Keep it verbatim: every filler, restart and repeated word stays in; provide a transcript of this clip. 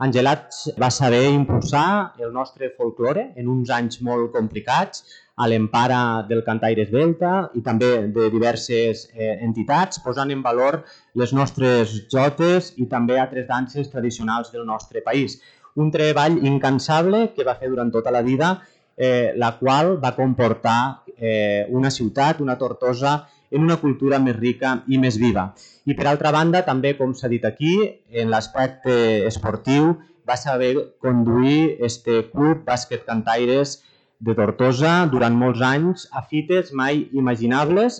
Angelat va saber impulsar el nostre folklore en uns anys molt complicats a l'empara del Cantaire Esvelta i també de diverses eh, entitats, posant en valor les nostres jotes i també altres danses tradicionals del nostre país. Un treball incansable que va fer durant tota la vida, eh, la qual va comportar eh, una ciutat, una Tortosa, en una cultura més rica i més viva. I per altra banda, també, com s'ha dit aquí, en l'aspecte esportiu, va saber conduir este club bàsquet Cantaires de Tortosa durant molts anys a fites mai imaginables,